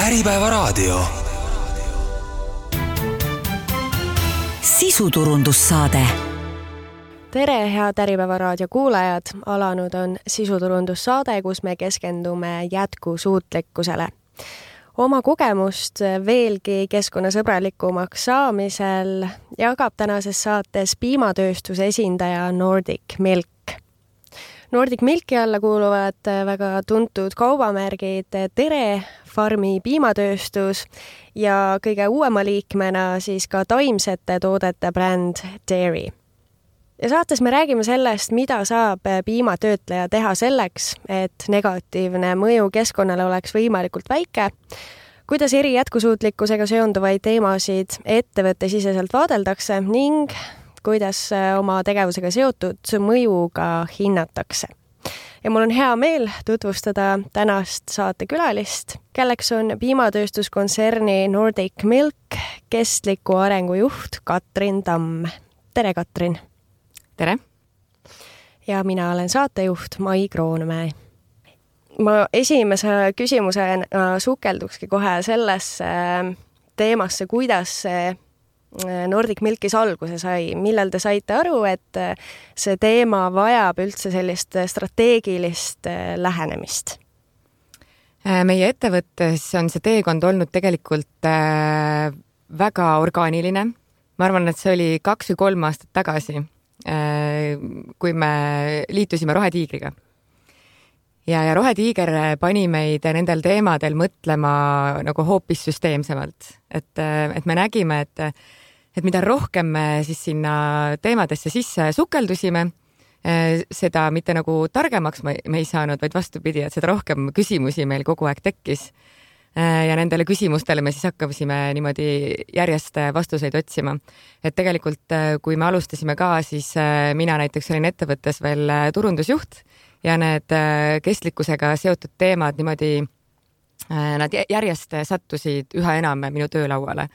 Äripäevaraadio. Sisuturundussaade. Tere, head Äripäevaraadio kuulajad! Alanud on sisuturundussaade, kus me keskendume jätkusuutlikkusele. Oma kogemust veelgi keskkonnasõbralikumaks saamisel jagab tänases saates piimatööstuse esindaja Nordic Milk. Nordic Milki alla kuuluvad väga tuntud kaubamärgid Tere, Farmi piimatööstus ja kõige uuema liikmena siis ka taimsete toodete bränd Dairy. Ja saates me räägime sellest, mida saab piimatöötleja teha selleks, et negatiivne mõju keskkonnale oleks võimalikult väike, kuidas eri jätkusuutlikkusega seonduvaid teemasid ettevõttesiseselt vaadeldakse ning kuidas oma tegevusega seotud mõjuga hinnatakse. Ja mul on hea meel tutvustada tänast saatekülalist, kelleks on piimatööstuskontserni Nordic Milk kestliku arengu juht Katrin Tamm. Tere, Katrin! Tere! Ja mina olen saatejuht Mai Kroonmäe. Ma esimese küsimusena sukeldukski kohe sellesse teemasse, kuidas see Nordic Milkis alguse sai. Millal te saite aru, et see teema vajab üldse sellist strateegilist lähenemist? Meie ettevõttes on see teekond olnud tegelikult väga orgaaniline. Ma arvan, et see oli 2 või 3 aastat tagasi, kui me liitusime Rohetiigriga. Ja Rohetiiger pani meid nendel teemadel mõtlema nagu hoopis süsteemsemalt. Et me nägime, et mida rohkem me siis sinna teemadesse sisse sukeldusime, seda mitte nagu targemaks me ei saanud, vaid vastupidi, et seda rohkem küsimusi meil kogu aeg tekkis. Ja nendele küsimustele me siis hakkasime niimoodi järjest vastuseid otsima. Et tegelikult, kui me alustasime ka, siis mina näiteks olin ettevõttes veel turundusjuht ja need kestlikkusega seotud teemad niimoodi, nad järjest sattusid üha enam minu töölauale.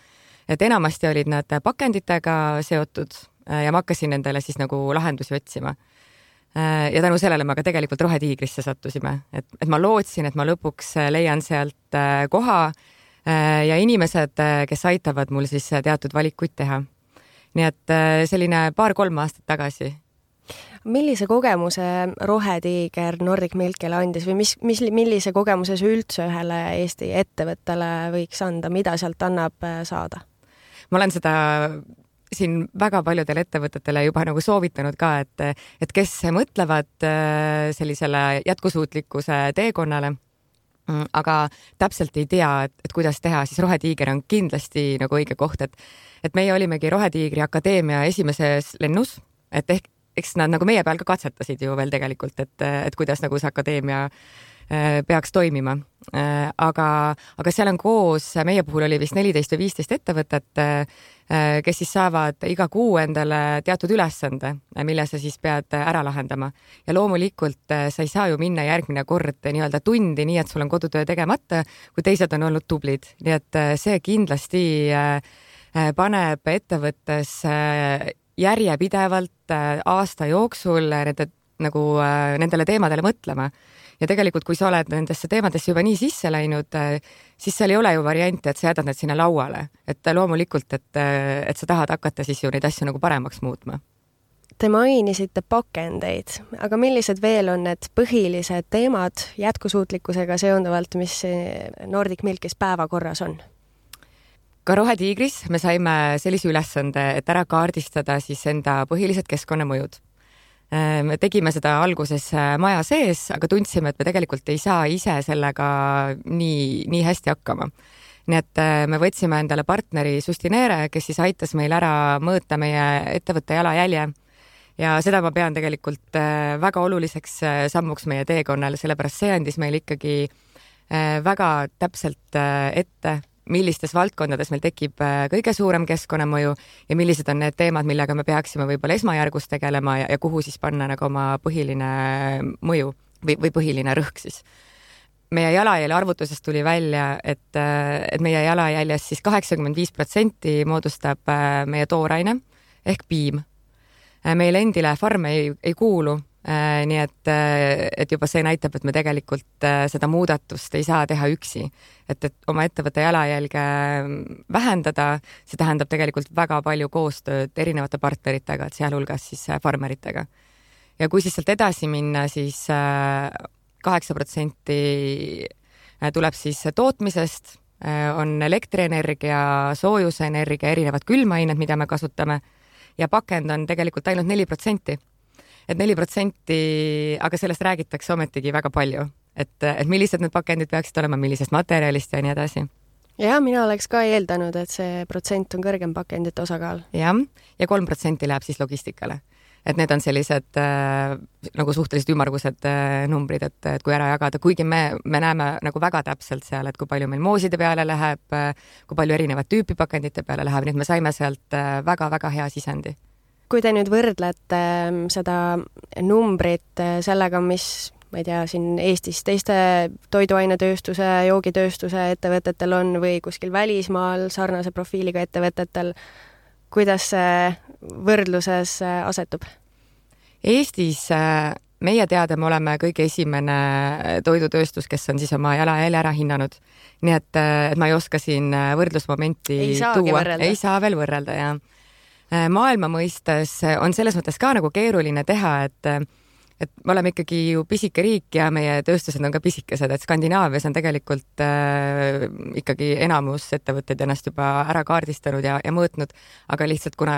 Et enamasti olid nad pakenditega seotud ja ma hakkasin nendele siis nagu lahendusi otsima. Ja tänu sellele me ka tegelikult Rohetiigrisse sattusime. Et ma lootsin, et ma lõpuks leian sealt koha ja inimesed, kes aitavad mul siis teatud valikuid teha. Nii et selline 2-3 aastat tagasi. Millise kogemuse Rohetiiger Nordic Milkile andis või millise kogemuse see üldse ühele Eesti ettevõttele võiks anda, mida sealt annab saada? Ma olen seda siin väga paljudele ettevõtetele juba nagu soovitanud ka, et kes mõtlevad sellisele jätkusuutlikkuse teekonnale, aga täpselt ei tea, et kuidas teha, siis Rohetiiger on kindlasti nagu õige koht, et meie olimegi Rohetiigri akadeemia esimeses lennus, et eks nad nagu meie peal ka katsetasid ju veel tegelikult, et kuidas nagu see akadeemia peaks toimima. Aga seal on koos, meie puhul oli vist 14 või 15 ettevõtet, kes siis saavad iga kuu endale teatud ülesande, mille sa siis pead ära lahendama. Ja loomulikult sa ei saa ju minna järgmine kord nii-öelda tundi, nii et sul on kodutöö tegemata, kui teised on olnud tublid. Nii et see kindlasti paneb ettevõttes järjepidevalt aasta jooksul nendele teemadele mõtlema. Ja tegelikult, kui sa oled nendesse teemadesse juba nii sisse läinud, siis seal ei ole ju varianti, et sa jätad need sinna lauale. Et loomulikult, et sa tahad hakata siis ju neid asju nagu paremaks muutma. Te mainisite pakendeid, aga millised veel on need põhilised teemad jätkusuutlikkusega seonduvalt, mis Nordic Milkis päevakorras on? Ka Rohetiigris me saime sellise ülesande, et ära kaardistada siis enda põhilised keskkonnamõjud. Me tegime seda alguses maja sees, aga tundsime, et me tegelikult ei saa ise sellega nii hästi hakkama. Nii et me võtsime endale partneri Sustinere, kes siis aitas meil ära mõõta meie ettevõtte jalajälje. Ja seda ma pean tegelikult väga oluliseks sammuks meie teekonnal, sellepärast see andis meil ikkagi väga täpselt ette, millistes valdkondades meil tekib kõige suurem keskkonnamõju ja millised on need teemad, millega me peaksime võib-olla esmajärgus tegelema ja kuhu siis panna nagu oma põhiline mõju või põhiline rõhk siis. Meie jalajälje arvutusest tuli välja, et meie jalajäljes siis 85% moodustab meie tooraine ehk piim. Meil endile farme ei kuulu Nii et juba see näitab, et me tegelikult seda muudatust ei saa teha üksi. Et oma ettevõtte jalajälge vähendada, see tähendab tegelikult väga palju koostööd erinevate partneritega, et sealhulgas siis farmeritega. Ja kui siis sealt edasi minna, siis 8% tuleb siis tootmisest, on elektrienergia, soojusenergia, erinevad külmained, mida me kasutame ja pakend on tegelikult ainult 4%. Et 4%, aga sellest räägitakse ometigi väga palju, et millised need pakendid peaksid olema, millisest materjalist ja nii edasi. Ja mina oleks ka eeldanud, et see protsent on kõrgem pakendite osakaal. Ja 3% läheb siis logistikale. Et need on sellised nagu suhteliselt ümmargused numbrid, et kui ära jagada, kuigi me näeme nagu väga täpselt seal, et kui palju meil mooside peale läheb, kui palju erinevat tüüpi pakendite peale läheb, nii et me saime sealt väga-väga hea sisendi. Kui te nüüd võrdlete seda numbrit sellega, mis, ma ei tea, siin Eestis teiste toiduainetööstuse, joogitööstuse ettevõtetel on või kuskil välismaal sarnase profiiliga ettevõtetel, kuidas see võrdluses asetub? Eestis meie teada me oleme kõige esimene toidutööstus, kes on siis oma jalajälje ära hinnanud. Nii et ma ei oska siin võrdlusmomenti tuua. Ei saa veel võrrelda, jah. Maailma mõistes on selles mõttes ka nagu keeruline teha, et me oleme ikkagi ju pisike riik ja meie tööstused on ka pisikesed, et Skandinaavias on tegelikult ikkagi enamus ettevõtteid ennast juba ära kaardistanud ja mõõtnud, aga lihtsalt kuna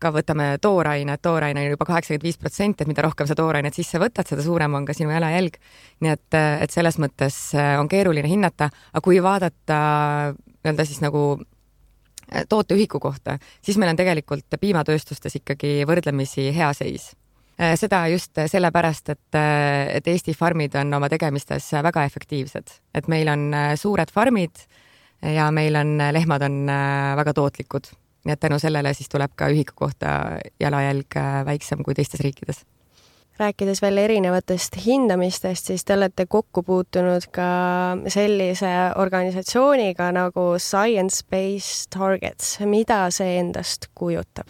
ka võtame tooraine on juba 85%, et mida rohkem sa toorainet sisse võtad, seda suurem on ka sinu jalajälg. Nii et selles mõttes on keeruline hinnata, aga kui vaadata nii-öelda siis nagu tooteühiku kohta, siis meil on tegelikult piimatööstustes ikkagi võrdlemisi hea seis. Seda just sellepärast, et Eesti farmid on oma tegemistes väga efektiivsed. Et meil on suured farmid ja meil on lehmad on väga tootlikud. Nii et tänu sellele siis tuleb ka ühiku kohta jalajälg väiksem kui teistes riikides. Rääkides veel erinevatest hindamistest, siis te olete kokku puutunud ka sellise organisatsiooniga nagu Science Based Targets. Mida see endast kujutab?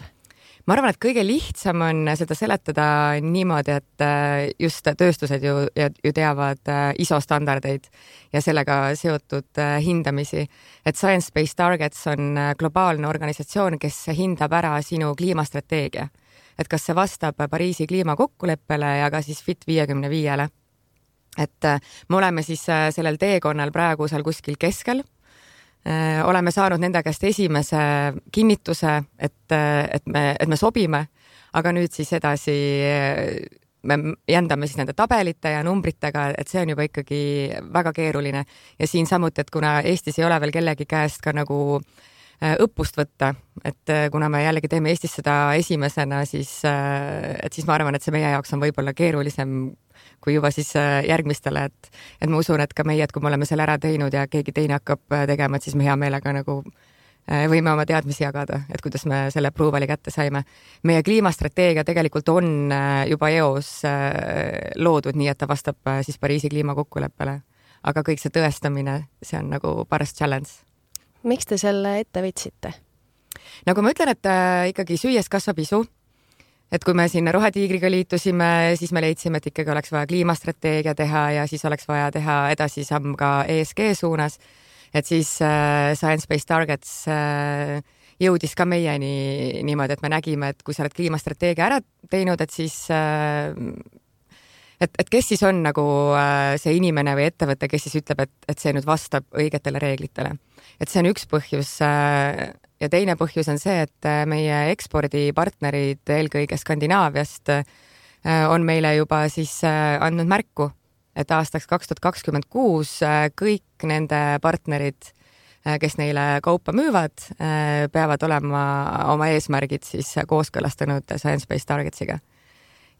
Ma arvan, et kõige lihtsam on seda seletada niimoodi, et just tööstused ju teavad ISO standardeid ja sellega seotud hindamisi. Et Science Based Targets on globaalne organisatsioon, kes hindab ära sinu kliimastrateegia. Et kas see vastab Pariisi kliimakokkuleppele ja ka siis Fit 55-le. Et me oleme siis sellel teekonnal praegu seal kuskil keskel. Oleme saanud nende käest esimese kinnituse, et me sobime, aga nüüd siis edasi me jändame siis nende tabelite ja numbritega, et see on juba ikkagi väga keeruline. Ja siin samuti, et kuna Eestis ei ole veel kellegi käest ka nagu õppust võtta, et kuna me jällegi teeme Eestis seda esimesena, siis ma arvan, et see meie jaoks on võib-olla keerulisem kui juba siis järgmistele, et ma usun, et ka meie, et kui me oleme selle ära teinud ja keegi teine hakkab tegema, et siis me hea meelega nagu võime oma teadmisi jagada, et kuidas me selle approval'i kätte saime. Meie kliimastrateegia tegelikult on juba EOS loodud nii, et ta vastab siis Pariisi kliimakokkuleppele, aga kõik see tõestamine, see on nagu paras challenge. Miks te selle ette võtsite? Nagu ma ütlen, et ikkagi süües kasvab isu. Et kui me siin Rohetiigriga liitusime, siis me leidsime, et ikkagi oleks vaja kliimastrateegia teha ja siis oleks vaja teha edasi samm ka ESG suunas. Et siis Science Based Targets jõudis ka meieni niimoodi, et me nägime, et kui sa oled kliimastrateegia ära teinud, et siis et kes siis on nagu see inimene või ettevõte, kes siis ütleb, et see nüüd vastab õigetele reeglitele. Et see on üks põhjus ja teine põhjus on see, et meie ekspordipartnerid eelkõige Skandinaaviast on meile juba siis andnud märku, et aastaks 2026 kõik nende partnerid, kes neile kaupa müüvad, peavad olema oma eesmärgid siis kooskõlastanud Science Based Targetsiga.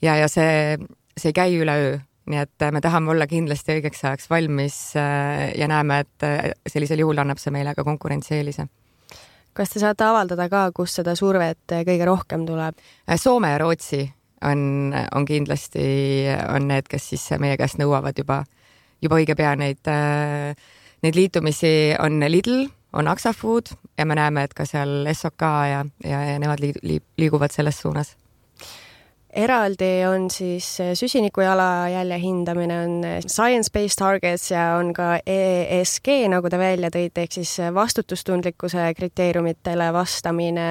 Ja see ei käi üleöö, nii et me tahame olla kindlasti õigeks ajaks valmis ja näeme, et sellisel juhul annab see meile ka konkurentsieelise. Kas te saate avaldada ka, kus seda survet kõige rohkem tuleb? Soome ja Rootsi on kindlasti need, kes siis meie käest nõuavad juba õige pea neid liitumisi. On Lidl, on Axafood ja me näeme, et ka seal SOK ja nemad liiguvad selles suunas. eraldi on siis süsiniku jalajälje hindamine, on science-based targets ja on ka ESG, nagu te välja tõite, ehk siis vastutustundlikkuse kriteeriumitele vastamine.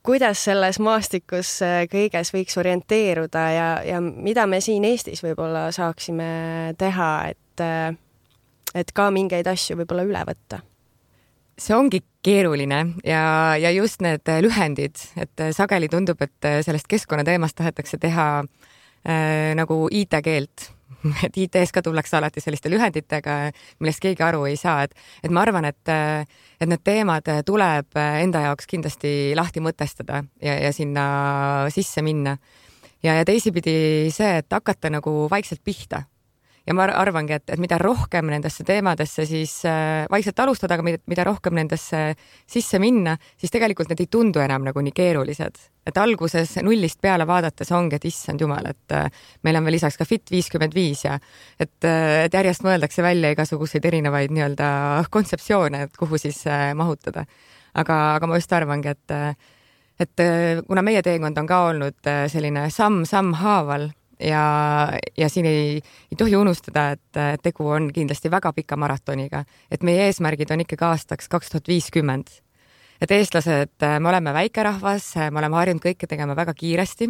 Kuidas selles maastikus kõiges võiks orienteeruda ja mida me siin Eestis võib-olla saaksime teha, et ka mingeid asju võib-olla üle võtta? See ongi keeruline ja just need lühendid, et sageli tundub, et sellest keskkonnateemast tahetakse teha nagu IT-keelt. Et IT-s ka tullakse alati selliste lühenditega, millest keegi aru ei saa. Et ma arvan, et need teemad tuleb enda jaoks kindlasti lahti mõtestada ja sinna sisse minna. Ja teisipidi see, et hakata nagu vaikselt pihta. Ja ma arvangi, et mida rohkem nendesse teemadesse siis vaikselt alustada, aga mida rohkem nendesse sisse minna, siis tegelikult need ei tundu enam nagu nii keerulised. Et alguses nullist peale vaadates ongi, et issand jumal, et meil on veel lisaks ka Fit 55 ja et järjest mõeldakse välja igasuguseid erinevaid nii-öelda kontseptsioone, et kuhu siis mahutada. Aga ma just arvangi, et kuna meie teekond on ka olnud selline samm haaval, ja siin ei tohi unustada, et tegu on kindlasti väga pika maratoniga, et meie eesmärgid on ikkagi aastaks 2050. Et eestlased, me oleme väikerahvas, me oleme harjunud kõike tegema väga kiiresti,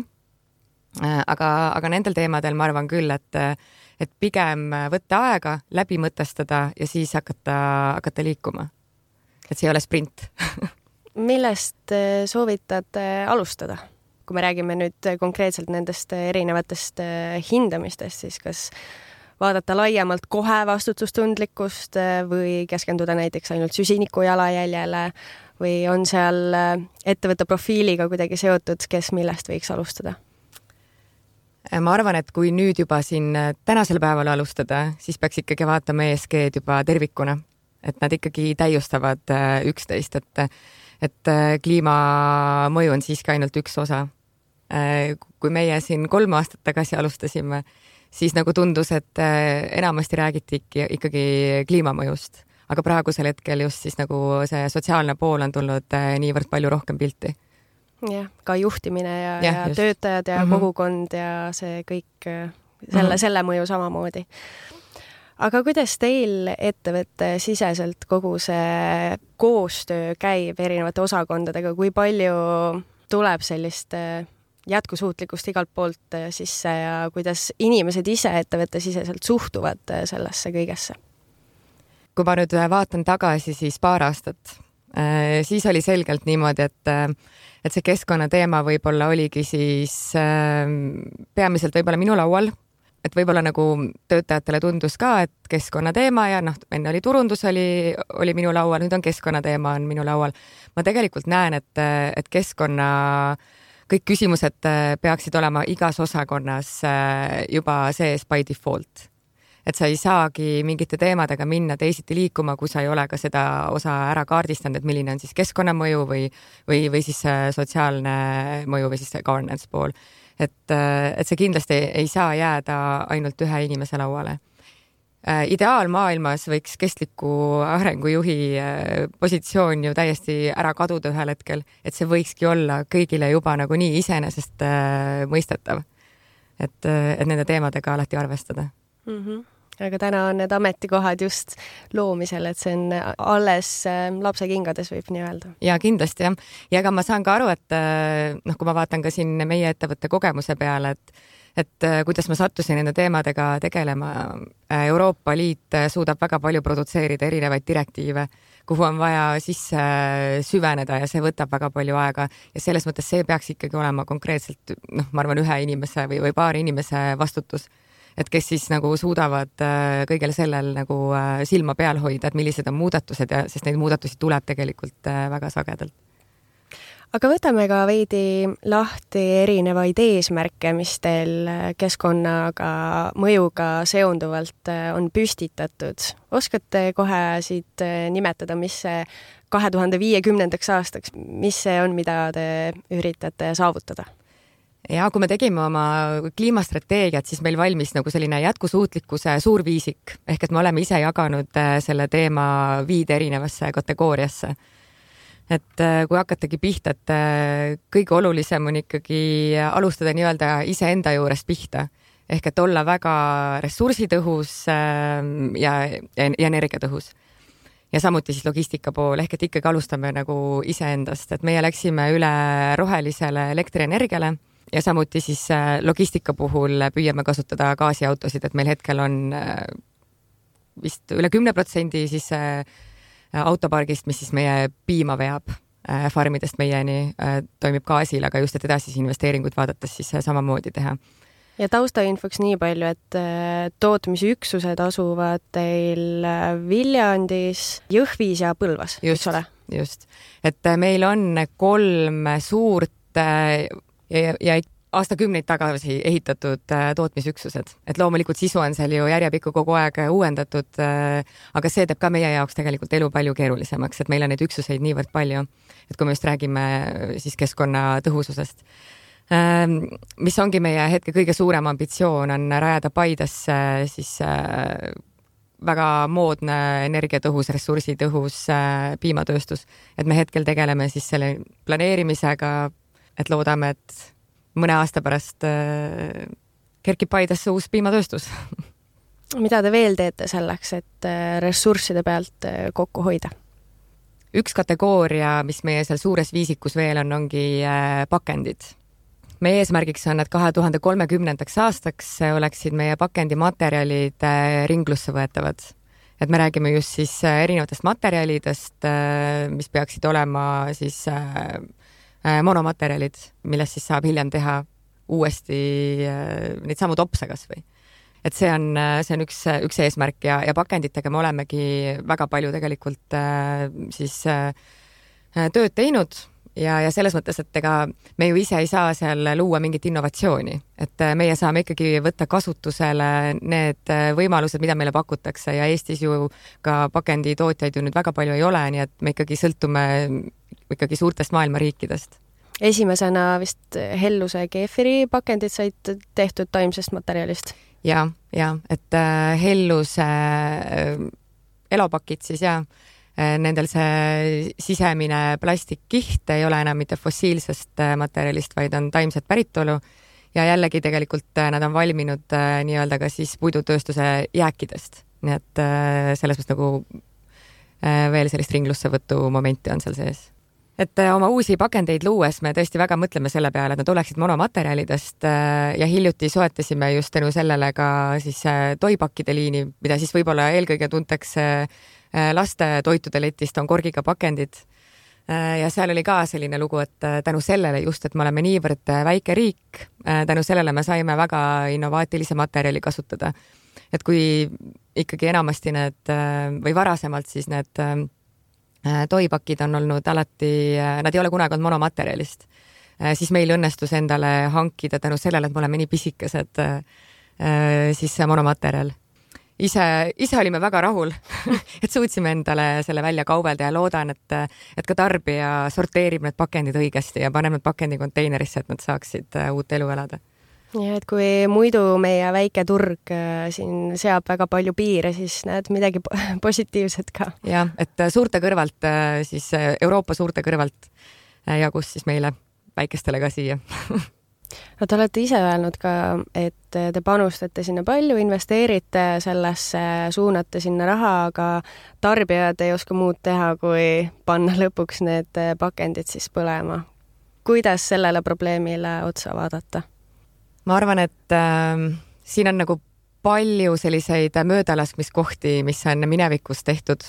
aga nendel teemadel ma arvan küll, et pigem võtta aega, läbi mõtestada ja siis hakata liikuma. Et see ei ole sprint. Millest soovitate alustada? Kui me räägime nüüd konkreetselt nendest erinevatest hindamistest, siis kas vaadata laiemalt kohe vastutustundlikkust või keskenduda näiteks ainult süsiniku jalajäljele või on seal ettevõtte profiiliga kuidagi seotud, kes millest võiks alustada? Ma arvan, et kui nüüd juba siin tänasel päeval alustada, siis peaks ikkagi vaatama ESG-d juba tervikuna, et nad ikkagi täiustavad üksteist, et kliimamõju on siiski ainult üks osa. Kui meie siin 3 aastat tagasi alustasime, siis nagu tundus, et enamasti räägiti ikkagi kliimamõjust, aga praegusel hetkel just siis nagu see sotsiaalne pool on tulnud niivõrd palju rohkem pilti. Jah, ka juhtimine ja töötajad ja kogukond ja see kõik, selle mõju samamoodi. Aga kuidas teil ettevõtte siseselt kogu see koostöö käib erinevate osakondadega, kui palju tuleb sellist jätkusuutlikkust igalt poolt sisse ja kuidas inimesed ise ettevõtte siseselt suhtuvad sellesse kõigesse? Kui ma nüüd vaatan tagasi siis 2 aastat, siis oli selgelt niimoodi, et see keskkonnateema võib-olla oligi siis peamiselt võib-olla minu laual, et võib-olla nagu töötajatele tundus ka, et keskkonnateema ja enne oli turundus, oli minu laual, nüüd on keskkonnateema on minu laual. Ma tegelikult näen, et keskkonna kõik küsimused peaksid olema igas osakonnas juba sees by default. Et sa ei saagi mingite teemadega minna teisiti liikuma, kui sa ei ole ka seda osa ära kaardistanud, et milline on siis keskkonnamõju või siis sotsiaalne mõju või siis governance pool. Et see kindlasti ei saa jääda ainult ühe inimese lauale. Ideaalmaailmas võiks kestliku arengujuhi positsioon ju täiesti ära kaduda ühel hetkel, et see võikski olla kõigile juba nagu nii iseenesest mõistetav, et nende teemadega alati arvestada. Aga täna on need ametikohad just loomisel, et see on alles lapse kingades, võib nii öelda. Ja kindlasti jah. Ja ega ma saan ka aru, et kui ma vaatan ka siin meie ettevõtte kogemuse peale, et kuidas ma sattusin nende teemadega tegelema. Euroopa Liit suudab väga palju produtseerida erinevaid direktiive, kuhu on vaja sisse süveneda ja see võtab väga palju aega ja selles mõttes see peaks ikkagi olema konkreetselt, ma arvan, ühe inimese või paari inimese vastutus, et kes siis nagu suudavad kõigele sellel nagu silma peal hoida, et millised on muudatused ja sest neid muudatusi tuleb tegelikult väga sagedalt. Aga võtame ka veidi lahti erinevaid eesmärke, mis teil keskkonnaga mõjuga seonduvalt on püstitatud. Oskate kohe siit nimetada, mis see 2050. aastaks, mis see on, mida te üritate saavutada? Ja kui me tegime oma kliimastrateegiat, siis meil valmis nagu selline jätkusuutlikkuse suurviisik, ehk et me oleme ise jaganud selle teema 5 erinevasse kategooriasse. et kui hakatagi pihta, et kõige olulisem on ikkagi alustada nii-öelda iseenda juurest pihta. Ehk et olla väga ressursitõhus ja energiatõhus. Ja samuti siis logistika pool, ehk et ikkagi alustame nagu iseendast, et meie läksime üle rohelisele elektrienergiale ja samuti siis logistika puhul püüame kasutada gaasiautosid, et meil hetkel on vist üle 10% siis autopargist, mis siis meie piima veab farmidest meieni, toimib gaasil, aga just, et edasisi investeeringuid vaadates siis samamoodi teha. Ja taustainfoks nii palju, et tootmisüksused asuvad teil Viljandis, Jõhvis ja Põlvas, eks ole? Just. Et meil on 3 suurt ja aastakümneid tagasi ehitatud tootmisüksused. Et loomulikult sisu on seal ju järjepikku kogu aeg uuendatud, aga see teeb ka meie jaoks tegelikult elu palju keerulisemaks, et meil on neid üksuseid niivõrd palju, et kui me just räägime siis keskkonna tõhususest. Mis ongi meie hetke kõige suurem ambitsioon on rajada Paidesse siis väga moodne energiatõhus, ressursitõhus piimatööstus. Et me hetkel tegeleme siis selle planeerimisega, et loodame, et mõne aasta pärast kerkib Paidesse uus piimatööstus. Mida te veel teete selleks, et ressursside pealt kokku hoida? Üks kategooria, mis meie seal suures viisikus veel on, ongi pakendid. Meie eesmärgiks on, et 2030. aastaks oleksid meie pakendimaterjalid ringlusse võetavad. Et me räägime just siis erinevatest materjalidest, mis peaksid olema siis monomaterjalid, millest siis saab hiljem teha uuesti neid samu topse kas või. Et see on üks eesmärk ja pakenditega me olemegi väga palju tegelikult siis tööd teinud. Ja selles mõttes, et ega me ju ise ei saa seal luua mingit innovatsiooni, et meie saame ikkagi võtta kasutusele need võimalused, mida meile pakutakse ja Eestis ju ka pakenditootjaid ju nüüd väga palju ei ole, nii et me ikkagi sõltume ikkagi suurtest maailma riikidest. Esimesena vist Helluse keefiri pakendid said tehtud taimsest materjalist? Ja, et Helluse elopakid siis nendel see sisemine plastikkiht ei ole enam mitte fossiilsest materjalist, vaid on taimset päritolu ja jällegi tegelikult nad on valminud nii-öelda ka siis puidutööstuse jääkidest. Nii et selles mõttes nagu veel sellist ringlussevõtu momenti on seal sees. Et oma uusi pakendeid luues me tõesti väga mõtleme selle peale, et nad oleksid monomaterjalidest ja hiljuti soetasime just tänu sellele ka siis toipakkide liini, mida siis võib-olla eelkõige tuntakse laste toitude letist on korgiga pakendid ja seal oli ka selline lugu, et tänu sellele just, et me oleme niivõrd väike riik, tänu sellele me saime väga innovaatilise materjali kasutada. Et kui ikkagi enamasti need või varasemalt siis need toipakid on olnud alati, nad ei ole kunagi olnud monomaterjalist, siis meil õnnestus endale hankida tänu sellele, et me oleme nii pisikesed siis monomaterjal. Ise olime väga rahul, et suutsime endale selle välja kaubelda ja loodan, et ka tarbija sorteerib need pakendid õigesti ja paneb need pakendi konteinerisse, et nad saaksid uut elu elada. Ja et kui muidu meie väike turg siin seab väga palju piire, siis näed midagi positiivset ka. Ja, et suurte kõrvalt, siis Euroopa suurte kõrvalt jagus siis meile väikestele ka siia. No te olete ise öelnud ka, et te panustate sinna palju, investeerite sellesse, suunate sinna raha, aga tarbijad ei oska muud teha, kui panna lõpuks need pakendid siis põlema. Kuidas sellele probleemile otsa vaadata? Ma arvan, et siin on nagu palju selliseid möödalaskmiskohti, mis on minevikus tehtud.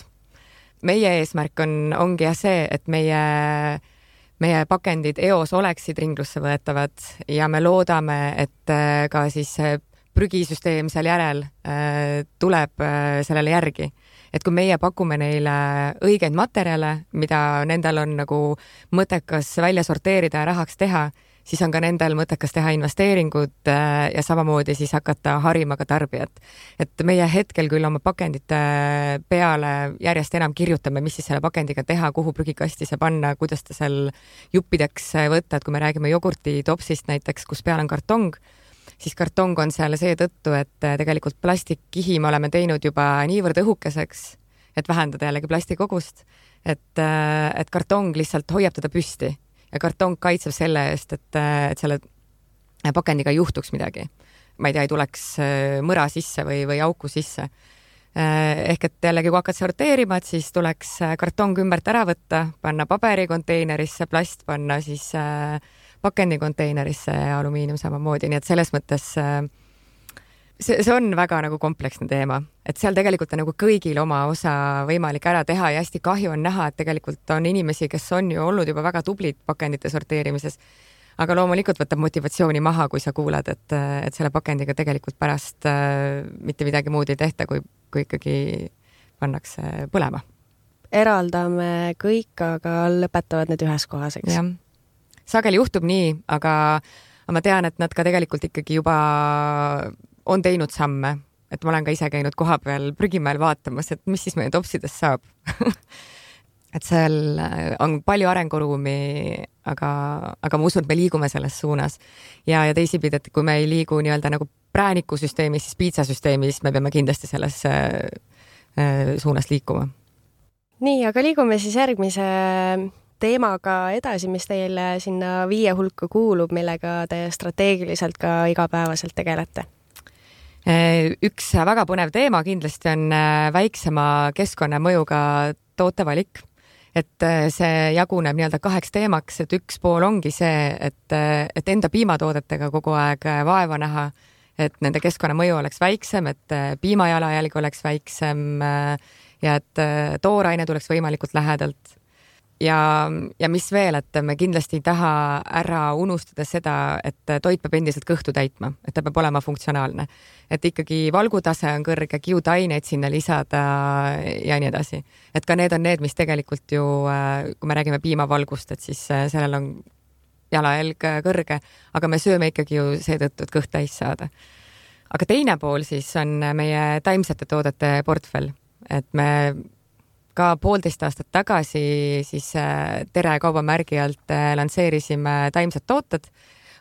Meie eesmärk ongi see, et meie pakendid eos oleksid ringlusse võetavad ja me loodame, et ka siis prügisüsteem seal järel tuleb sellele järgi. Et kui meie pakume neile õigeid materjale, mida nendel on nagu mõttekas välja sorteerida ja rahaks teha, siis on ka nendel mõttekas teha investeeringud ja samamoodi siis hakata harima ka tarbijat. Et meie hetkel küll oma pakendite peale järjest enam kirjutame, mis siis selle pakendiga teha, kuhu prügikasti see panna, kuidas ta seal juppideks võtta, et kui me räägime jogurti topsist näiteks, kus peal on kartong, siis kartong on seal seetõttu, et tegelikult plastikkihi me oleme teinud juba niivõrd õhukeseks, et vähendada jällegi plastikogust, et kartong lihtsalt hoiab teda püsti ja kartong kaitseb selle eest, et selle pakendiga ei juhtuks midagi. Ma ei tea, ei tuleks mõra sisse või auku sisse. Ehk et jällegi, kui hakkad sorteerima, et siis tuleks kartong ümbert ära võtta, panna paberikonteinerisse, plast panna siis pakendikonteinerisse ja alumiinium samamoodi, nii et selles mõttes see on väga nagu kompleksne teema, et seal tegelikult on nagu kõigil oma osa võimalik ära teha ja hästi kahju on näha, et tegelikult on inimesi, kes on ju olnud juba väga tublid pakendite sorteerimises, aga loomulikult võtab motivatsiooni maha, kui sa kuulad, et selle pakendiga tegelikult pärast mitte midagi muud ei tehta, kui ikkagi pannakse põlema. Eraldame kõik, aga lõpetavad need ühes kohas, eks? Jah. Sageli juhtub nii, aga ma tean, et nad ka tegelikult ikkagi juba on teinud samme, et ma olen ka ise käinud koha peal prügimäel vaatamas, et mis siis meie topsidest saab. Et seal on palju arenguruumi, aga ma usun, et me liigume selles suunas. Ja teisipidi, et kui me ei liigu nii-öelda nagu präänikusüsteemis, siis piitsasüsteemis me peame kindlasti selles suunas liikuma. Nii, aga liigume siis järgmise teemaga edasi, mis teile sinna 5 hulka kuulub, millega te strateegiliselt ka igapäevaselt tegelete. Üks väga põnev teema kindlasti on väiksema keskkonnamõjuga tootevalik. Et see jaguneb nii-öelda 2 teemaks, et üks pool ongi see, et enda piimatoodetega kogu aeg vaeva näha, et nende keskkonnamõju oleks väiksem, et piimajalajälg oleks väiksem ja et tooraine tuleks võimalikult lähedalt. Ja mis veel, et me kindlasti ei taha ära unustada seda, et toit peab endiselt kõhtu täitma, et ta peab olema funktsionaalne. Et ikkagi valgutase on kõrge, kiudaineid sinna lisada ja nii edasi. Et ka need on need, mis tegelikult ju, kui me räägime piimavalgust, et siis sellel on jalajälg kõrge, aga me sööme ikkagi ju seetõttu, et kõht täis saada. Aga teine pool siis on meie taimsete toodete portfell, et me ka 1,5 aastat tagasi siis Tere kaubamärgi alt lansseerisime taimsed tooted.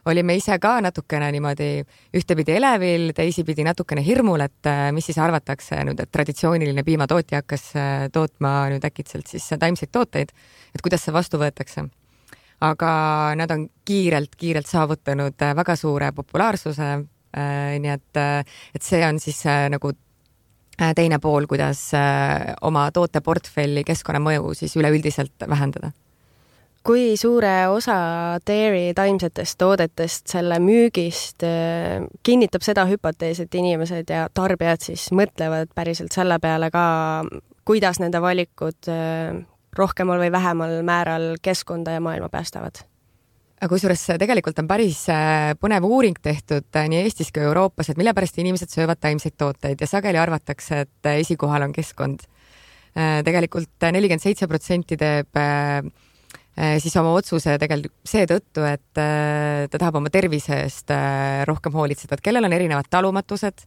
Olime ise ka natukene niimoodi ühtepidi elevil, teisipidi natukene hirmul, et mis siis arvatakse nüüd, et traditsiooniline piimatootja hakkas tootma nüüd äkitselt siis taimseid tooteid, et kuidas see vastu võetakse. Aga nad on kiirelt saavutanud väga suure populaarsuse, nii et see on siis nagu teine pool, kuidas oma tooteportfelli keskkonnamõju siis üleüldiselt vähendada. Kui suure osa dairy taimsetest toodetest selle müügist kinnitab seda hüpotees, et inimesed ja tarbijad siis mõtlevad päriselt selle peale ka, kuidas nende valikud rohkemal või vähemal määral keskkonda ja maailma päästavad? Aga kusjuures tegelikult on päris põnev uuring tehtud nii Eestis kui Euroopas, et mille pärast inimesed söövad taimseid tooteid ja sageli arvatakse, et esikohal on keskkond. Tegelikult 47% teeb siis oma otsuse tegelikult seetõttu, et ta tahab oma tervise eest rohkem hoolitseda, et kellel on erinevad talumatused,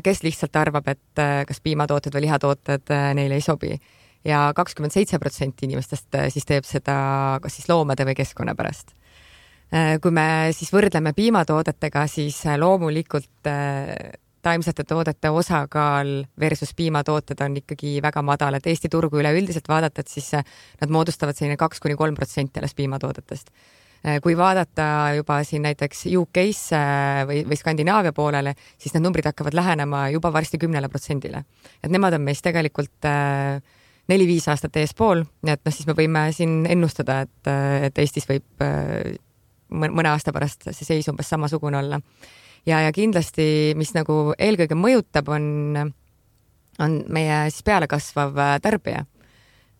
kes lihtsalt arvab, et kas piimatooted või lihatooted neile ei sobi. Ja 27% inimestest siis teeb seda kas siis loomade või keskkonna pärast. Kui me siis võrdleme piimatoodetega, siis loomulikult taimsete toodete osakaal versus piimatooted on ikkagi väga madal, et Eesti turgu üleüldiselt vaadata, et siis nad moodustavad selline 2-3% alles piimatoodetest. Kui vaadata juba siin näiteks UK-sse või Skandinaavia poolele, siis need numbrid hakkavad lähenema juba varsti 10%. Et nemad on meist tegelikult 4-5 aastat eespool, nii et siis me võime siin ennustada, et Eestis võib mõne aasta pärast see seis umbes samasugune olla. Ja kindlasti, mis nagu eelkõige mõjutab, on meie siis peale kasvav tarbija.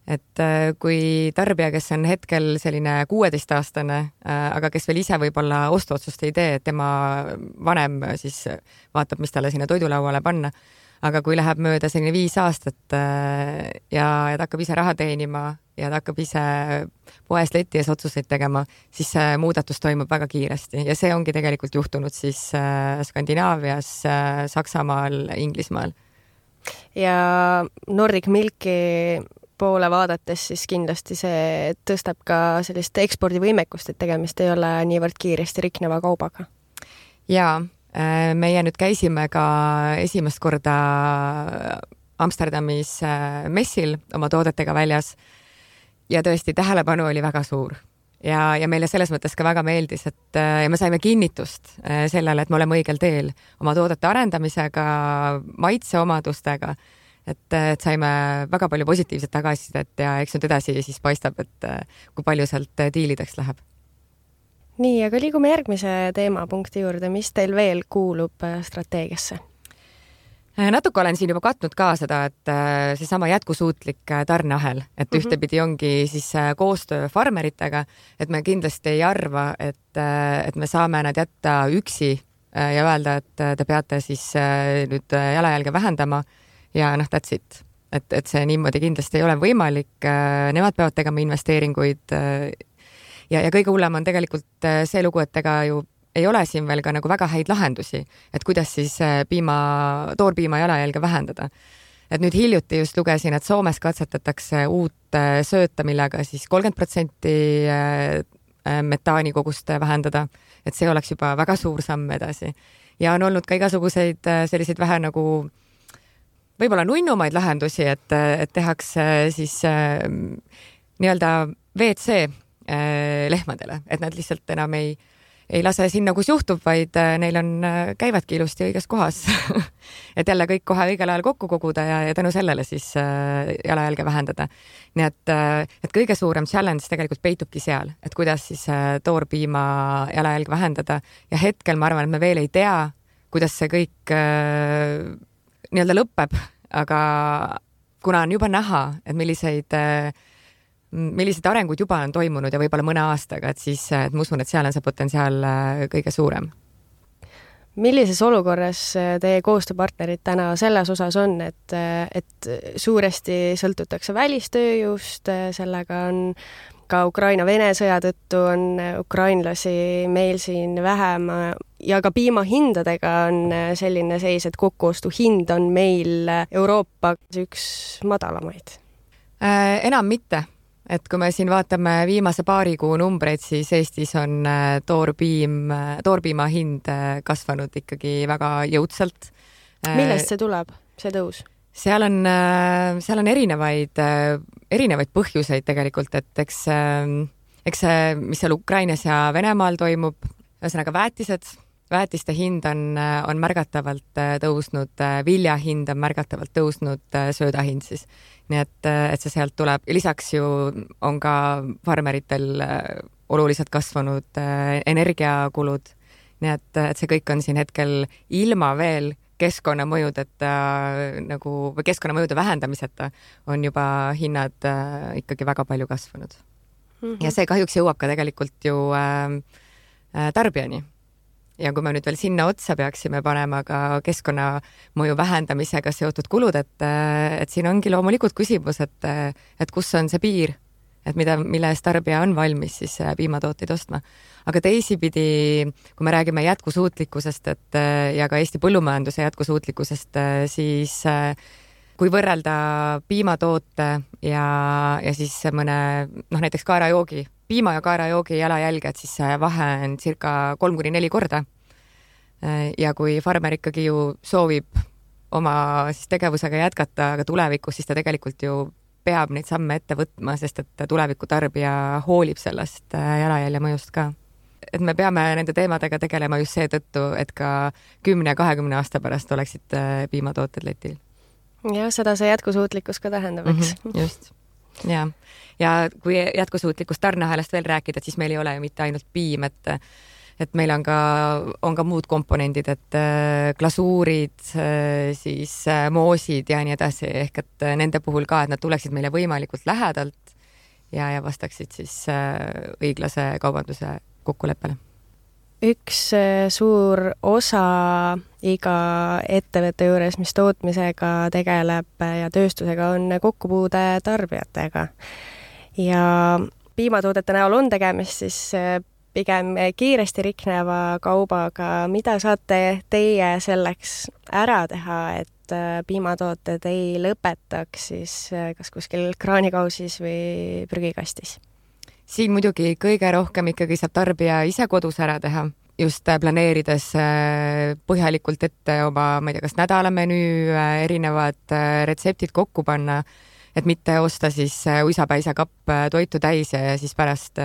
Et kui tarbija, kes on hetkel selline 16-aastane, aga kes veel ise võib-olla ostuotsust ei tee, et tema vanem siis vaatab, mis talle sinna toidulauale panna, aga kui läheb mööda selline 5 aastat ja ta hakkab ise raha teenima ja ta hakkab ise poes leti ees otsuseid tegema, siis see muudatus toimub väga kiiresti ja see ongi tegelikult juhtunud siis Skandinaavias, Saksamaal, Inglismaal. Ja Nordic Milki poole vaadates siis kindlasti see tõstab ka sellist ekspordivõimekust, et tegemist ei ole niivõrd kiiresti rikneva kaubaga. Jaa. Meie nüüd käisime ka esimest korda Amsterdamis messil oma toodetega väljas ja tõesti tähelepanu oli väga suur. Ja meile selles mõttes ka väga meeldis, et ja me saime kinnitust sellele, et me oleme õigel teel oma toodete arendamisega, maitseomadustega, et saime väga palju positiivset tagasisidet ja eks nüüd edasi siis paistab, et kui palju sealt diilideks läheb. Nii, aga liigume järgmise teemapunkti juurde, mis teil veel kuulub strateegiasse? Natuke olen siin juba katnud ka seda, et seesama jätkusuutlik tarneahel, et ühtepidi ongi siis koostöö farmeritega, et me kindlasti ei arva, et me saame nad jätta üksi ja öelda, et te peate siis nüüd jalajälge vähendama ja that's it. Et see niimoodi kindlasti ei ole võimalik. Nemad peavad tegema investeeringuid ja kõige hullem on tegelikult see lugu, et ega ju ei ole siin veel ka nagu väga häid lahendusi, et kuidas siis toorpiima jalajälge vähendada. Et nüüd hiljuti just lugesin, et Soomes katsetatakse uut sööta, millega siis 30% metaani kogust vähendada, et see oleks juba väga suur samm edasi. Ja on olnud ka igasuguseid selliseid vähe nagu võib-olla nunnumaid lahendusi, et tehakse siis nii-öelda WC lehmadele, et nad lihtsalt enam ei lase sinna, kus juhtub, vaid neil on, käivadki ilusti õiges kohas. Et jälle kõik kohe õigel ajal kokku koguda ja tänu sellele siis jalajälge vähendada. Nii et kõige suurem challenge tegelikult peitubki seal, et kuidas siis toorpiima jalajälge vähendada ja hetkel ma arvan, et me veel ei tea, kuidas see kõik nii-öelda lõpeb, aga kuna on juba näha, et millised arengud juba on toimunud ja võib-olla mõne aastaga, et siis et ma usun, et seal on see potentsiaal kõige suurem. Millises olukorras teie koostööpartnerid täna selles osas on, et suuresti sõltutakse välistööjõust, sellega on ka Ukraina-Vene sõja tõttu on ukrainlasi meil siin vähem ja ka piimahindadega on selline seis, et kokkuostuhind on meil Euroopa üks madalamaid? Enam mitte. Et kui me siin vaatame viimase paari kuu numbreid, siis Eestis on toorpiima hind kasvanud ikkagi väga jõudsalt. Millest see tuleb, see tõus? Seal on erinevaid põhjuseid tegelikult, et eks see, mis seal Ukrainas ja Venemaal toimub, ühesõnaga väetiste hind on märgatavalt tõusnud, vilja hind on märgatavalt tõusnud, sööda hind siis. Nii et see sealt tuleb. Ja lisaks ju on ka farmeritel oluliselt kasvanud energiakulud. Nii et see kõik on siin hetkel ilma veel keskkonnamõjudeta või keskkonnamõjude vähendamiseta on juba hinnad ikkagi väga palju kasvanud. Ja see kahjuks jõuab ka tegelikult ju tarbijani. Ja kui me nüüd veel sinna otsa peaksime panema ka keskkonnamõju vähendamisega seotud kulud, et siin ongi loomulikult küsimus, et kus on see piir, et mille eest tarbija on valmis siis piimatooteid ostma. Aga teisipidi, kui me räägime jätkusuutlikkusest ja ka Eesti põllumajanduse jätkusuutlikkusest, siis kui võrrelda piimatoote ja siis mõne näiteks kaerajoogi, piima ja kaerajoogi jalajälge, et siis see vahe on circa 3-4 korda. Ja kui farmer ikkagi ju soovib oma siis tegevusega jätkata, aga tulevikus siis ta tegelikult ju peab neid samme ette võtma, sest et tuleviku tarbija hoolib sellest jalajälje mõjust ka. Et me peame nende teemadega tegelema just seetõttu, et ka 10-20 aasta pärast oleksid piimatooted letil. Ja seda see jätkusuutlikkus ka tähendab, eks? Just. Ja kui jätkusuutlikust tarneahelast veel rääkida, siis meil ei ole ju mitte ainult piim, et meil on ka muud komponendid, et glasuurid, siis moosid ja nii edasi, ehk et nende puhul ka, et nad tuleksid meile võimalikult lähedalt ja vastaksid siis õiglase kaubanduse kokkuleppele. Üks suur osa iga ettevõtte juures, mis tootmisega tegeleb ja tööstusega, on kokkupuude tarbijatega. Ja piimatoodete näol on tegemist siis pigem kiiresti rikneva kaubaga. Mida saate teie selleks ära teha, et piimatooted ei lõpetaks siis kas kuskil kraanikausis või prügikastis? Siin muidugi kõige rohkem ikkagi saab tarbija ise kodus ära teha. just planeerides põhjalikult ette oma, ma ei tea, kas nädalamenüü, erinevad retseptid kokku panna, et mitte osta siis uisapäisa kapp toitu täis ja siis pärast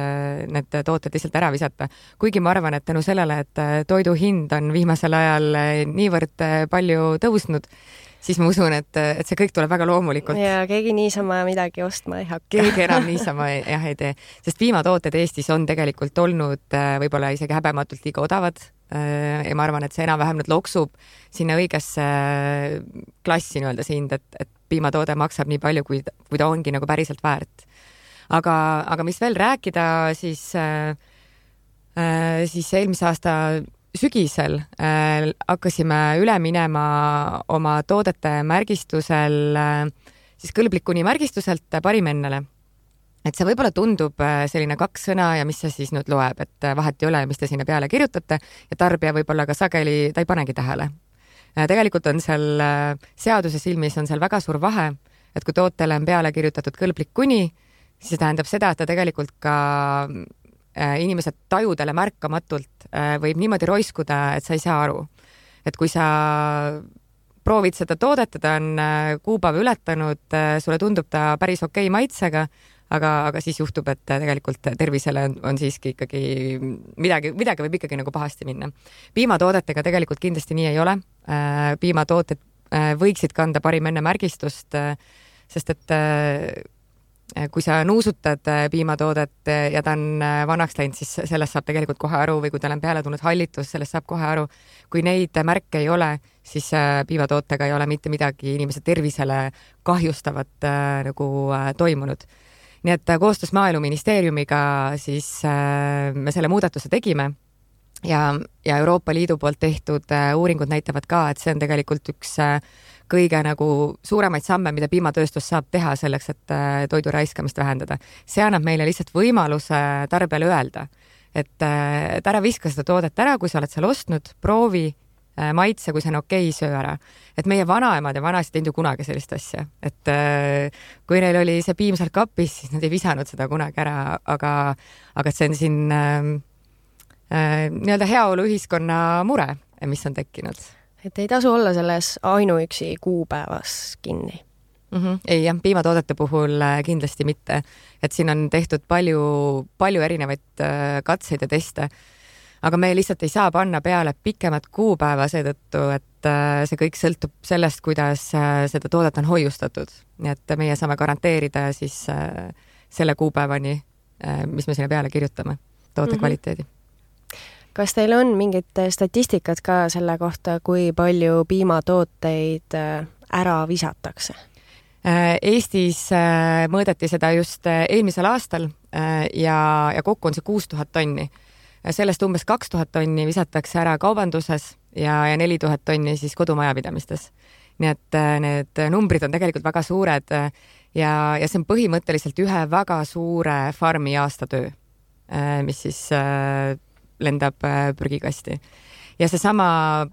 need tooted lihtsalt ära visata. Kuigi ma arvan, et tänu sellele, et toidu hind on viimasel ajal niivõrd palju tõusnud, siis ma usun, et see kõik tuleb väga loomulikult. Ja keegi niisama midagi ostma ei hakka. Keegi enam niisama ei tee. Sest piimatooted Eestis on tegelikult olnud võib-olla isegi häbematult liiga odavad. Ja ma arvan, et see enam-vähem nüüd loksub sinna õigesse klassi nii-öelda see hind, et piimatoode maksab nii palju, kui ta ongi nagu päriselt väärt. Aga mis veel rääkida, siis eelmise aasta sügisel hakkasime üle minema oma toodete märgistusel siis kõlblikkuni märgistuselt parimennele. Et see võib-olla tundub selline 2 sõna ja mis see siis nüüd loeb, et vahet ei ole, mis te sinna peale kirjutate ja tarbija võib-olla ka sageli ta ei panegi tähele. Tegelikult on seal seaduse silmis on seal väga suur vahe, et kui tootele on peale kirjutatud kõlblik kuni, siis see tähendab seda, et ta tegelikult ka inimesed tajudele märkamatult võib niimoodi roiskuda, et sa ei saa aru. Et kui sa proovid seda toodet, ta on kuupäev ületanud, sulle tundub ta päris okei maitsega, aga siis juhtub, et tegelikult tervisele on siiski ikkagi midagi võib ikkagi nagu pahasti minna. Piimatoodetega tegelikult kindlasti nii ei ole. Piimatooted võiksid kanda parim enne märgistust, sest et kui sa nuusutad piimatoodet ja ta on vanaks läinud, siis sellest saab tegelikult kohe aru või kui tal on peale tulnud hallitus, sellest saab kohe aru. Kui neid märke ei ole, siis piimatootega ei ole mitte midagi inimese tervisele kahjustavat nagu toimunud. Nii et koostöös Maaeluministeeriumiga siis me selle muudatuse tegime ja Euroopa Liidu poolt tehtud uuringud näitavad ka, et see on tegelikult üks kõige nagu suuremaid samme, mida piimatööstus saab teha selleks, et toidu raiskamist vähendada. See annab meile lihtsalt võimaluse tarbijale öelda, et ära viska seda toodet ära, kui sa oled seal ostnud, proovi, maitse, kui see on okei, söö ära. Et meie vanaemad ja vanasid teinud ju kunagi sellist asja, et kui neil oli see piim seal kapis, siis nad ei visanud seda kunagi ära, aga see on siin nii-öelda heaolu ühiskonna mure, mis on tekkinud. Et ei tasu olla selles ainuüksi kuupäevas kinni. Ei jah, piimatoodete puhul kindlasti mitte, et siin on tehtud palju erinevaid katseid ja teste, aga me lihtsalt ei saa panna peale pikemat kuupäeva seetõttu, et see kõik sõltub sellest, kuidas seda toodet on hoiustatud. Nii et meie saame garanteerida siis selle kuupäevani, mis me sinna peale kirjutame, toote kvaliteedi. Kas teil on mingit statistikat ka selle kohta, kui palju piimatooteid ära visatakse? Eestis mõõdeti seda just eelmisel aastal ja kokku on see 6000 tonni. Sellest umbes 2000 tonni visatakse ära kaubanduses ja 4000 tonni siis kodumajapidamistes. Nii et need numbrid on tegelikult väga suured ja see on põhimõtteliselt ühe väga suure farmi aastatöö, mis siis lendab prügikasti. Ja seesama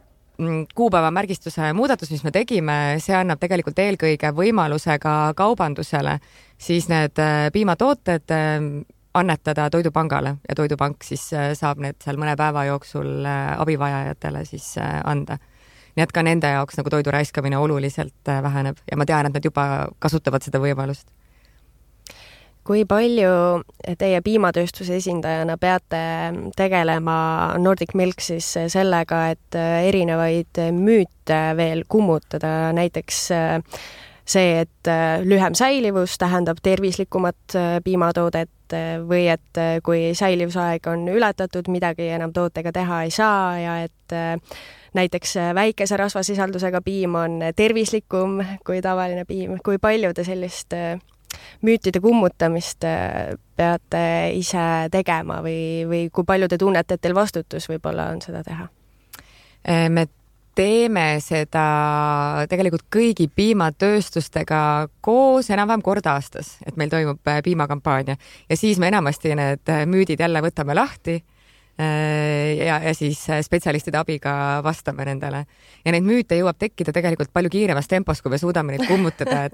kuupäeva märgistuse muudatus, mis me tegime, see annab tegelikult eelkõige võimaluse ka kaubandusele siis need piimatooted annetada Toidupangale ja Toidupank siis saab need seal mõne päeva jooksul abivajajatele siis anda. Nii et ka nende jaoks nagu toidu raiskamine oluliselt väheneb ja ma tean, et nad juba kasutavad seda võimalust. Kui palju teie piimatööstuse esindajana peate tegelema Nordic Milk siis sellega, et erinevaid müüte veel kummutada, näiteks see, et lühem säilivus tähendab tervislikumat piimatoodet või et kui säilivusaeg on ületatud, midagi enam tootega teha ei saa ja et näiteks väikese rasvasisaldusega piim on tervislikum kui tavaline piim. Kui palju te sellist müütide kummutamist peate ise tegema või kui palju te tunnete, et teil vastutus võib-olla on seda teha? Me teeme seda tegelikult kõigi piimatööstustega koos enam-vähem kord aastas, et meil toimub piimakampaania ja siis me enamasti need müüdid jälle võtame lahti ja siis spetsialistide abiga vastame nendele. Ja neid müüte jõuab tekkida tegelikult palju kiiremas tempos, kui me suudame neid kummutada,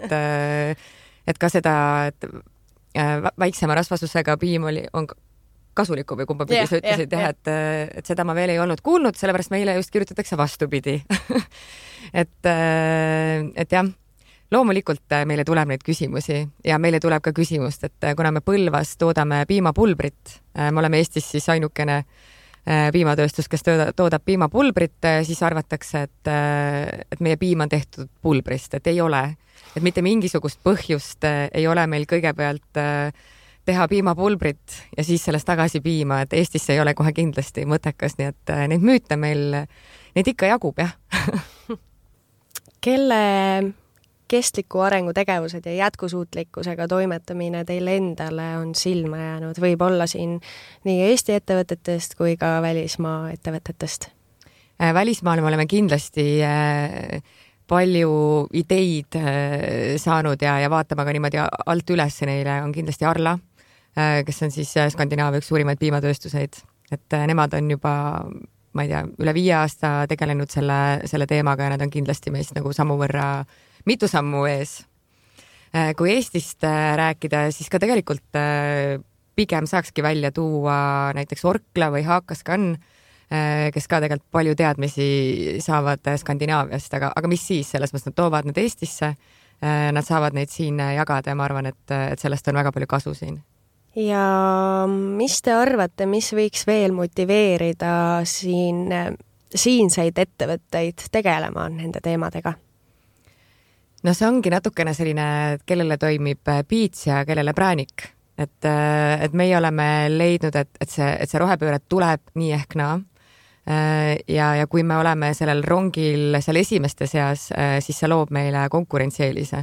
et ka seda, et väiksema rasvasusega piim on kasulikku või kumba pidi sa ütlesid, et seda ma veel ei olnud kuulnud, sellepärast meile just kirjutatakse vastupidi. et jah, loomulikult meile tuleb neid küsimusi ja meile tuleb ka küsimust, et kuna me Põlvas toodame piimapulbrit, me oleme Eestis siis ainukene piimatööstus, kes toodab piimapulbrit, siis arvatakse, et meie piim on tehtud pulbrist, et ei ole. Et mitte mingisugust põhjust ei ole meil kõigepealt teha piimapulbrit ja siis sellest tagasi piima, et Eestis ei ole kohe kindlasti mõttekas, nii et neid müüte meil, neid ikka jagub, jah. Kelle kestliku arengu tegevused ja jätkusuutlikkusega toimetamine teile endale on silma jäänud? Võib olla siin nii Eesti ettevõtetest kui ka välismaa ettevõtetest? Välismaal me oleme kindlasti palju ideid saanud ja vaatame ka niimoodi alt üles neile on kindlasti Arla, kes on siis Skandinaavia üks suurimaid piimatööstuseid, et nemad on juba, ma ei tea, üle 5 aasta tegelenud selle teemaga ja nad on kindlasti meist nagu mitu sammu ees. Kui Eestist rääkida, siis ka tegelikult pigem saakski välja tuua näiteks Orkla või Hakascan, kes ka tegelikult palju teadmisi saavad Skandinaaviast, aga mis siis, selles mõttes nad toovad need Eestisse, nad saavad neid siin jagada ja ma arvan, et sellest on väga palju kasu siin. Ja mis te arvate, mis võiks veel motiveerida siinseid ettevõtteid tegelema nende teemadega? No see ongi natukene selline, kellele toimib piits ja kellele präänik. Et meie oleme leidnud, et see rohepööre tuleb nii ehk naa. Ja kui me oleme sellel rongil seal esimeste seas, siis see loob meile konkurentsieelise.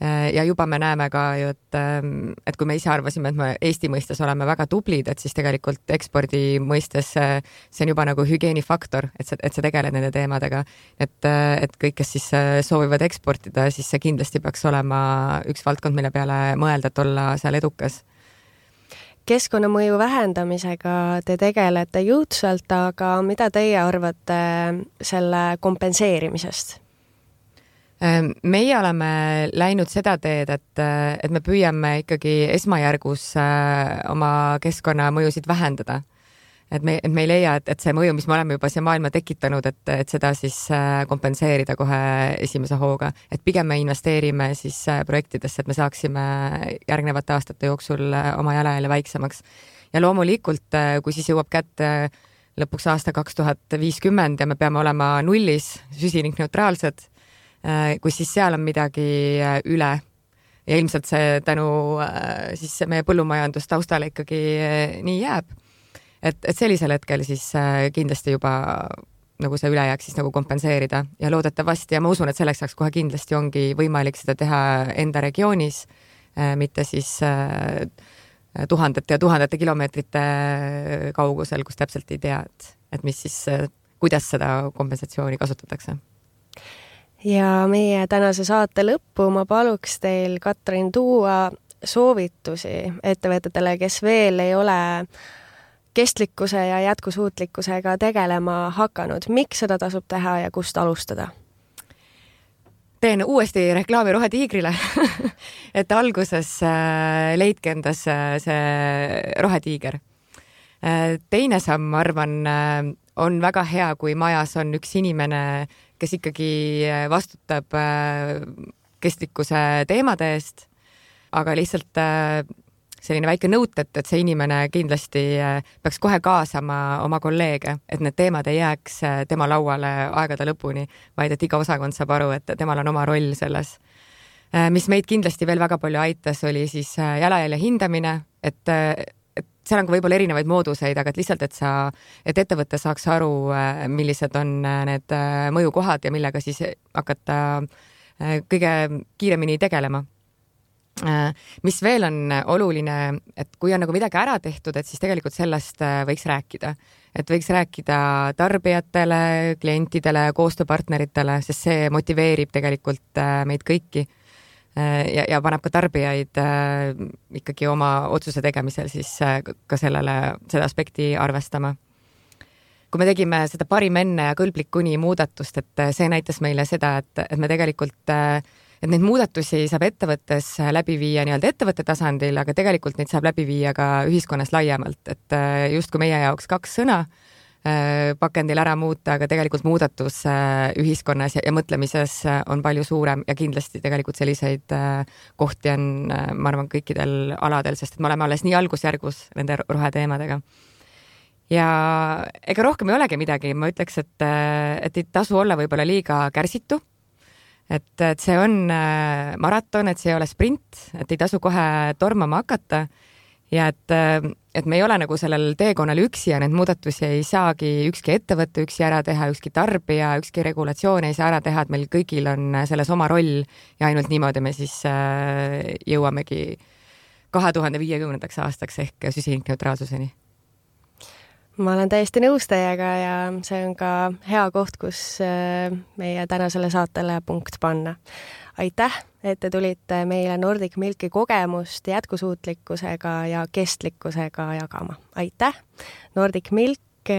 Ja juba me näeme ka ju, et kui me ise arvasime, et me Eesti mõistes oleme väga tublid, et siis tegelikult ekspordi mõistes see on juba nagu hügieenifaktor, et sa tegeled nende teemadega. Et kõik, kes siis soovivad eksportida, siis see kindlasti peaks olema üks valdkond, mille peale mõelda, et olla seal edukas. Keskkonnamõju vähendamisega te tegelete jõudsalt, aga mida teie arvate selle kompenseerimisest? Meie oleme läinud seda teed, et me püüame ikkagi esmajärgus oma keskkonnamõjusid vähendada. Et me ei leia, et see mõju, mis me oleme juba siia maailma tekitanud, et seda siis kompenseerida kohe esimese hooga. Et pigem me investeerime siis projektidesse, et me saaksime järgnevate aastate jooksul oma jalajälje väiksemaks. Ja loomulikult, kui siis jõuab kätte lõpuks aasta 2050 ja me peame olema nullis süsinikneutraalsed, kui siis seal on midagi üle ja ilmselt see tänu siis meie põllumajandustaustale ikkagi nii jääb. Et sellisel hetkel siis kindlasti juba nagu see ülejääk siis nagu kompenseerida ja loodetavasti ja ma usun, et selleks saaks kohe kindlasti ongi võimalik seda teha enda regioonis, mitte siis tuhandete ja tuhandete kilomeetrite kaugusel, kus täpselt ei tea, et mis siis, kuidas seda kompensatsiooni kasutatakse. Ja meie tänase saate lõppu ma paluks teil, Katrin, tuua soovitusi ettevõtetele, kes veel ei ole kestlikkuse ja jätkusuutlikkusega tegelema hakanud. Miks seda tasub teha ja kust alustada? Teen uuesti reklaami Rohetiigrile, et alguses leidke endas see Rohetiiger. Teine samm, ma arvan, on väga hea, kui majas on üks inimene, kes ikkagi vastutab kestlikkuse teemade eest, aga lihtsalt selline väike nõut, et see inimene kindlasti peaks kohe kaasama oma kolleege, et need teemad ei jääks tema lauale aegade lõpuni, vaid et iga osakond saab aru, et temal on oma roll selles. Mis meid kindlasti veel väga palju aitas, oli siis jalajälje hindamine, et seal on ka võib-olla erinevaid mooduseid, aga et lihtsalt, et ettevõte saaks aru, millised on need mõjukohad ja millega siis hakata kõige kiiremini tegelema. Mis veel on oluline, et kui on nagu midagi ära tehtud, et siis tegelikult sellest võiks rääkida. Et võiks rääkida tarbijatele, klientidele, koostööpartneritele, sest see motiveerib tegelikult meid kõiki ja paneb ka tarbijaid ikkagi oma otsuse tegemisel siis ka seda aspekti arvestama. Kui me tegime seda parim enne ja kõlblik kuni muudatust, et see näitas meile seda, et me tegelikult et neid muudatusi saab ettevõttes läbi viia nii-öelda ettevõtte tasandil, aga tegelikult neid saab läbi viia ka ühiskonnas laiemalt, et justkui meie jaoks 2 sõna pakendil ära muuta, aga tegelikult muudatus ühiskonnas ja mõtlemises on palju suurem ja kindlasti tegelikult selliseid kohti on, ma arvan, kõikidel aladel, sest et me oleme alles nii algusjärgus nende roheteemadega. Ja ega rohkem ei olegi midagi, ma ütleks, et ei tasu olla võib-olla liiga kärsitu, et see on maraton, et see ei ole sprint, et ei tasu kohe tormama hakata ja et me ei ole nagu sellel teekonnal üksi ja neid muudatusi ei saagi ükski ettevõte üksi ära teha, ükski tarbija, ükski regulatsioon ei saa ära teha, et meil kõigil on selles oma roll ja ainult niimoodi me siis jõuamegi 2050. aastaks ehk süsinikneutraalsuseni. Ma olen täiesti nõus teiega ja see on ka hea koht, kus meie tänasele saatele punkt panna. Aitäh, et te tulite meile Nordic Milki kogemust jätkusuutlikkusega ja kestlikkusega jagama. Aitäh, Nordic Milk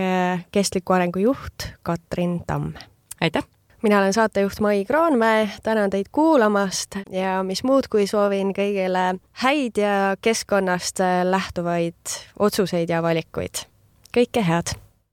kestliku arengu juht Katrin Tamm. Aitäh! Mina olen saatejuht Mai Kroonmäe, tänan teid kuulamast ja mis muud, kui soovin kõigile häid ja keskkonnast lähtuvaid otsuseid ja valikuid. Kõike head!